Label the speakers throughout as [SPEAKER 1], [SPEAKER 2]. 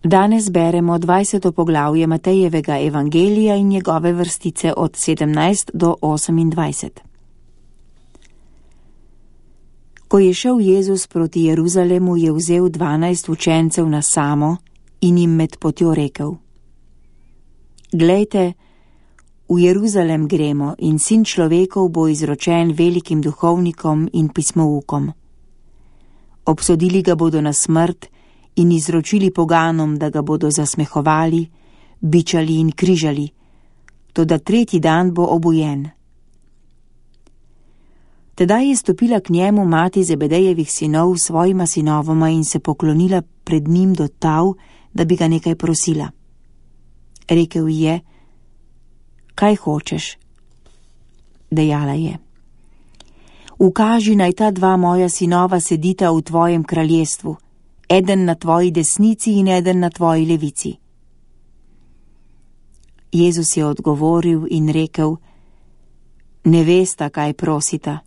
[SPEAKER 1] Danes beremo 20. poglavje Matejevega evangelija in njegove vrstice od 17 do 28. Ko je šel Jezus proti Jeruzalemu, je vzel 12 učencev na samo in jim med potjo rekel: Glejte, v Jeruzalem gremo in sin človekov bo izročen velikim duhovnikom in pismoukom. Obsodili ga bodo na smrt in izročili poganom, da ga bodo zasmehovali, bičali in križali, toda tretji dan bo obujen. Tedaj je stopila k njemu mati Zebedejevih sinov s svojima sinovoma in se poklonila pred njim do tal, da bi ga nekaj prosila. Rekel ji je: Kaj hočeš? Dejala je: Ukaži, naj ta dva moja sinova sedita v tvojem kraljestvu, eden na tvoji desnici in eden na tvoji levici. Jezus je odgovoril in rekel: Ne vesta, kaj prosita.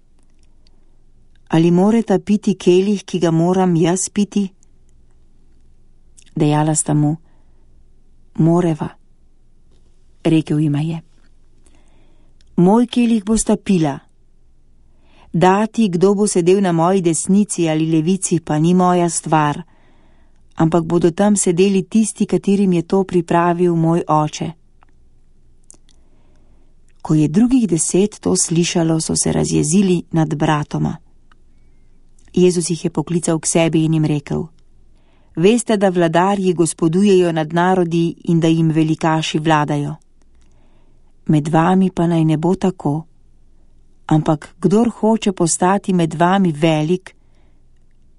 [SPEAKER 1] Ali moreta piti kelih, ki ga moram jaz piti? Dejala sta mu: Moreva. Rekel jima je: Moj kelih bosta pila. Dati, kdo bo sedel na moji desnici ali levici, pa ni moja stvar, ampak bodo tam sedeli tisti, katerim je to pripravil moj oče. Ko je drugih 10 to slišalo, so se razjezili nad bratoma. Jezus jih je poklical k sebi in jim rekel: Veste, da vladarji gospodujejo nad narodi in da jim velikaši vladajo. Med vami pa naj ne bo tako, ampak kdor hoče postati med vami velik,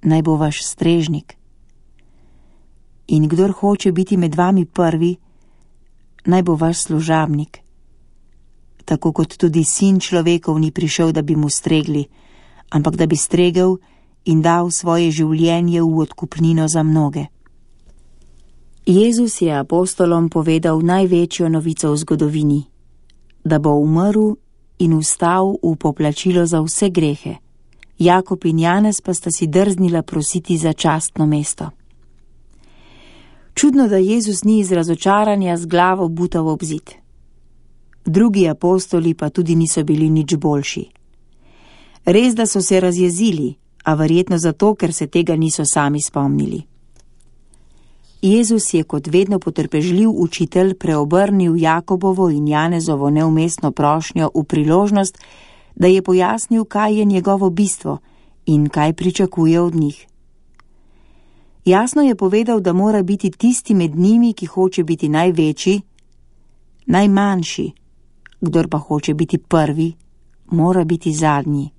[SPEAKER 1] naj bo vaš strežnik. In kdor hoče biti med vami prvi, naj bo vaš služabnik. Tako kot tudi sin človekov ni prišel, da bi mu stregli, ampak da bi stregel in dal svoje življenje v odkupnino za mnoge. Jezus je apostolom povedal največjo novico v zgodovini, da bo umrl in vstal v poplačilo za vse grehe. Jakob in Janez pa sta si drznila prositi za častno mesto. Čudno, da Jezus ni iz razočaranja z glavo butal ob zid. Drugi apostoli pa tudi niso bili nič boljši. Res, da so se razjezili, a verjetno zato, ker se tega niso sami spomnili. Jezus je kot vedno potrpežljiv učitelj preobrnil Jakobovo in Janezovo neumestno prošnjo v priložnost, da je pojasnil, kaj je njegovo bistvo in kaj pričakuje od njih. Jasno je povedal, da mora biti tisti med njimi, ki hoče biti največji, najmanjši, kdor pa hoče biti prvi, mora biti zadnji.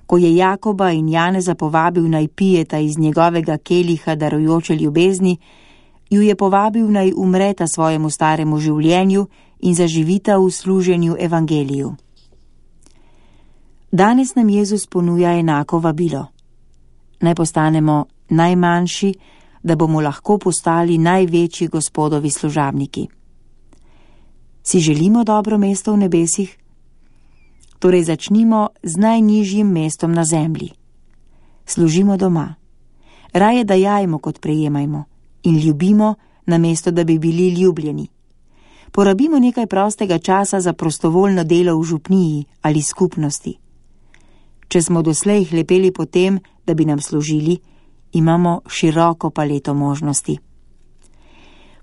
[SPEAKER 1] Ko je Jakoba in Janeza povabil naj pijeta iz njegovega keliha darujoče ljubezni, ju je povabil naj umreta svojemu staremu življenju in zaživita v služenju evangeliju. Danes nam Jezus ponuja enako vabilo. Naj postanemo najmanjši, da bomo lahko postali največji Gospodovi služabniki. Si želimo dobro mesto v nebesih? Torej začnimo z najnižjim mestom na zemlji. Služimo doma. Raje dajajmo, kot prejemajmo, in ljubimo, namesto da bi bili ljubljeni. Porabimo nekaj prostega časa za prostovoljno delo v župniji ali skupnosti. Če smo doslej hlepeli po tem, da bi nam služili, imamo široko paleto možnosti.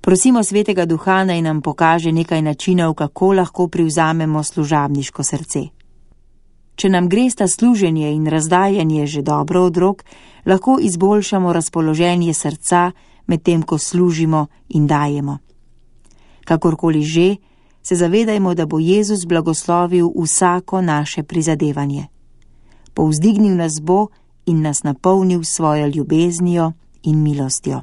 [SPEAKER 1] Prosimo Svetega Duha, naj nam pokaže nekaj načinov, kako lahko privzamemo služabniško srce. Če nam gresta služenje in razdajanje že dobro od rok, lahko izboljšamo razpoloženje srca, medtem ko služimo in dajemo. Kakorkoli že, se zavedajmo, da bo Jezus blagoslovil vsako naše prizadevanje. Povzdignil nas bo in nas napolnil svojo ljubeznijo in milostjo.